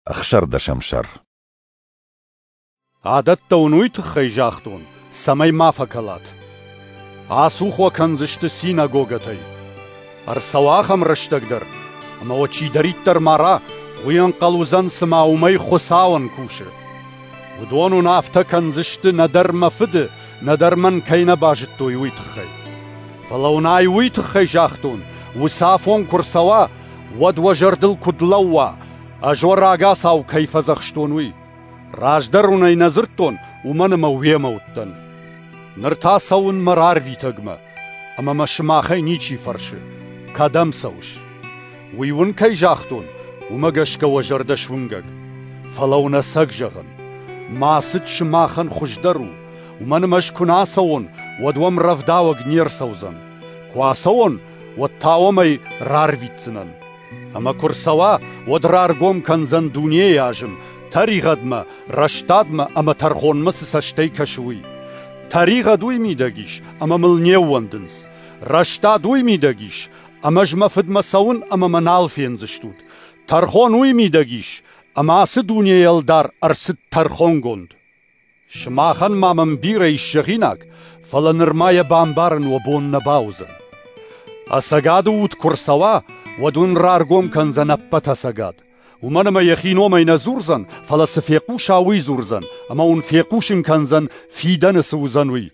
Ӕхсӕрдӕсӕм сӕр. Адӕттӕ уын уый тыххӕй загътон, цӕмӕй ма фӕкӕлат. Ацух уӕ кӕндзысты синагогӕтӕй. Ӕрцӕуа ахӕм рӕстӕг дӕр, ӕмӕ уӕ чидӕриддӕр мара, уый ӕнхъӕл уыдзӕн, цыма уымӕй Хуыцауӕн кусы. Уыдон уын афтӕ кӕндзысты нӕдӕр мӕ Фыды, нӕдӕр мӕн кӕй нӕ базыдтой, уый тыххӕй. Фӕлӕ уын ай уый тыххӕй загътон, уыцы афон куы рцӕуа, уӕд уӕ зӕрдыл куыд лӕууа, ӕз уӕ рагацау кӕй фӕдзӕхстон, уый. Раздӕр уын ӕй нӕ дзырдтон, уымӕн ӕмӕ уемӕ уыдтӕн. Ныр та цӕуын мӕ рарвитӕгмӕ, ӕмӕ мӕ сымахӕй ничи фӕрсы, кӕдӕм цӕуыс? Уый уын кӕй загътон, уымӕ гӕсгӕ уӕ зӕрдӕ суынгӕг. Фӕлӕ уын ӕцӕг зӕгъын, мӕ цыд сымахӕн хуыздӕр у, уымӕн ӕмӕ ӕз куы нӕ ацӕуон, уӕд уӕм рӕвдауӕг не рцӕудзӕн. Куы ацӕуон, уӕд та уӕм ӕй рарвитдзынӕн. Ӕмӕ куы рцӕуа, уӕд раргом кӕндзӕн дунейы азым, тӕригъӕдмӕ, рӕстадмӕ ӕмӕ тӕрхонмӕ цы цӕстӕй кӕсы, уый. Тӕригъӕд уый мидӕг ис, ӕмӕ мыл не ууӕндынц. Рӕстад уый мидӕг ис, ӕмӕ ӕз мӕ фыдмӕ цӕуын ӕмӕ мӕ нал фендзыстут. Тӕрхон уый мидӕг ис, ӕмӕ ацы дунейы ӕлдар ӕрцыд тӕрхонгонд. Сымахӕн ма мӕм бирӕ ис зӕгъинаг, фӕлӕ нырма йӕ бамбарын уӕ бон нӕ бауыдзӕн. Ӕцӕгады уд куы рцӕуа, уӕд уын раргом кӕндзӕн ӕппӕт ӕцӕгад. Уымӕн ӕмӕ йӕхи номӕй нӕ дзурдзӕн, фӕлӕ цы фехъуса, уый дзурдзӕн, ӕмӕ уын фехъусын кӕндзӕн, фидӕны цы уыдзӕн, уый.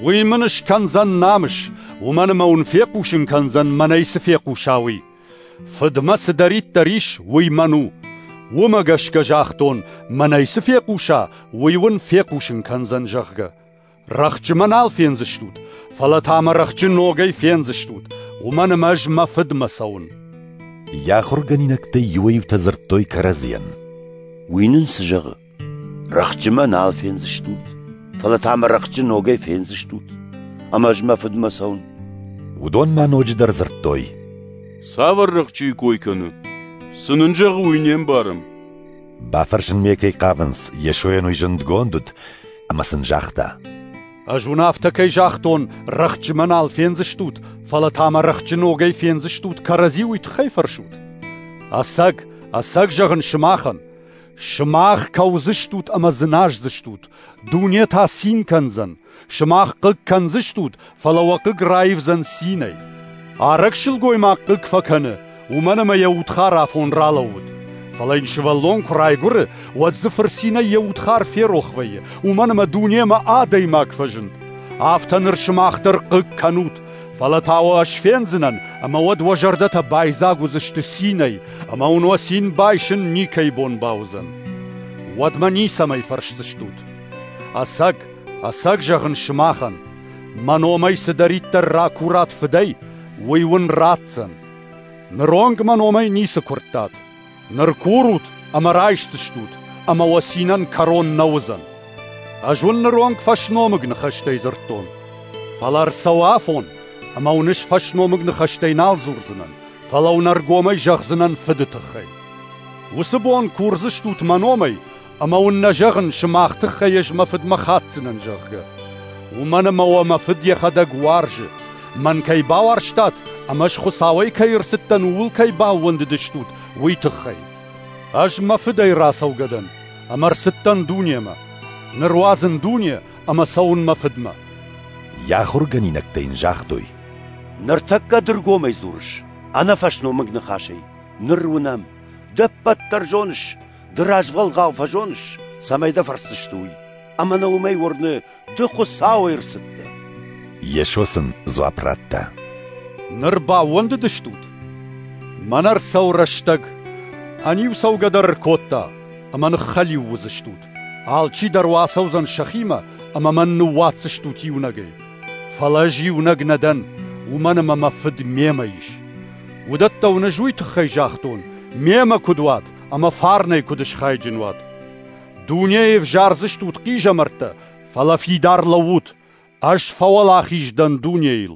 Уый мын скӕндзӕн намыс, уымӕн ӕмӕ уын фехъусын кӕндзӕн, мӕнӕй цы фехъуса, уый. Фыдмӕ цыдӕриддӕр ис, уый мӕн у. Уымӕ гӕсгӕ загътон, мӕнӕй цы фехъуса, уый уын фехъусын кӕндзӕн, зӕгъгӕ. Рӕхджы мӕ нал фендзыстут, фӕлӕ та мӕ рӕхджы ногӕй фендзыстут, уымӕн ӕмӕ ӕз мӕ фыдмӕ цӕуын. Йӕ ахуыргӕнинӕгтӕй иуӕй-иутӕ дзырдтой кӕрӕдзийӕн: Уый нын цы зӕгъы? Рӕхджы мӕ нал фендзыстут, фӕлӕ та мӕ рӕхджы ногӕй фендзыстут, ӕмӕ ӕз мӕ фыдмӕ цӕуын. Уыдон ма ноджыдӕр дзырдтой: Цавӕр рӕхджыйы кой кӕны? Цы нын зӕгъы, уый не мбарӕм. Бафӕрсынмӕ кӕй хъавынц, Йесойӕн уый зындгонд уыд, ӕмӕ сын загъта: Ӕз уын афтӕ кӕй загътон, рӕхджы мӕ нал фендзыстут, фӕлӕ та мӕ рӕхджы ногӕй фендзыстут, кӕрӕдзи уый тыххӕй фӕрсут. Ӕцӕг, ӕцӕг зӕгъын сымахӕн, сымах кӕудзыстут ӕмӕ дзыназдзыстут, дуне та цин кӕндзӕн. Сымах хъыг кӕндзыстут, фӕлӕ уӕ хъыг раивдзӕн цинӕй. Арӕг сылгоймаг хъыг фӕкӕны, уымӕн ӕмӕ йӕ удхар афон ралӕууыд. Фӕлӕ йын сывӕллон куы райгуыры, уӕд дзы фырцинӕй йӕ удхар ферох вӕййы, уымӕн ӕмӕ дунемӕ адӕймаг фӕзынд. Афтӕ ныр сымах дӕр хъыг кӕнут, фӕлӕ та уӕ ӕз фендзынӕн, ӕмӕ уӕд уӕ зӕрдӕтӕ байдзаг уыдзысты цинӕй, ӕмӕ уын уӕ цин байсын никӕй бон бауыдзӕн. Уӕдмӕ ницӕмӕй фӕрсдзыстут. Ӕцӕг, ӕцӕг зӕгъын сымахӕн, мӕ номӕй цыдӕриддӕр ракурат фыдӕй, уый уын ратдзӕн. Ныронг мӕ номӕй ницы куырдтат. Ныр курут ӕмӕ райсдзыстут, ӕмӕ уӕ цинӕн кӕрон нӕ уыдзӕн. Ӕз уын ныронг фӕсномыг ныхӕстӕй дзырдтон. Фӕлӕ ӕрцӕуы афон, ӕмӕ уын ӕз фӕсномыг ныхӕстӕй нал дзурдзынӕн, фӕлӕ уын ӕргомӕй зӕгъдзынӕн Фыды тыххӕй. Уыцы бон курдзыстут мӕ номӕй, ӕмӕ уын нӕ зӕгъын, сымах тыххӕй ӕз мӕ фыдмӕ хатдзынӕн, зӕгъгӕ. Уымӕн ӕмӕ уӕ мӕ фыд йӕхӕдӕг уарзы. Мӕн кӕй бауарзтат ӕмӕ ӕз Хуыцауӕй кӕй ӕрцыдтӕн, ууыл кӕй баууӕндыдыстут, уый тыххӕй. Ӕз мӕ фыдӕй рацӕугӕ дӕн, ӕмӕ ӕрцыдтӕн дунемӕ. Ныр уадзын дуне ӕмӕ цӕуын мӕ фыдмӕ. Йӕ ахуыргӕнинӕгтӕ йын загътой: Ныртӕккӕ ды ргомӕй дзурыс, ӕнӕфӕсномыг ныхасӕй. Ныр уынӕм, ды ӕппӕт дӕр зоныс, ды развӕлгъау фӕзоныс, цӕмӕй дӕ фӕрсдзысты, уый. Ӕмӕ нӕ уымӕй уырны, ды Хуыцауӕй ӕрцыдтӕ. Йесо сын дзуапп радта: Ныр баууӕндыдыстут? Мӕнӕ ӕрцӕуы рӕстӕг, ӕниу цӕугӕ дӕр ӕркодта, ӕмӕ ныххӕлиу уыдзыстут. Алчидӕр уӕ ацӕудзӕн сӕхимӕ, ӕмӕ мӕн ныууадздзыстут иунӕгӕй. Фӕлӕ ӕз иунӕг нӕ дӕн, уымӕн ӕмӕ мӕ Фыд мемӕ ис. Уыдӕттӕ уын ӕз уый тыххӕй загътон, мемӕ куыд уат ӕмӕ фарнӕй куыд схайджын уат. Дунейы ӕвзардзыстут хъизӕмӕрттӕ, фӕлӕ фидар лӕуут, ӕз фӕуӕлахиз дӕн дунейыл.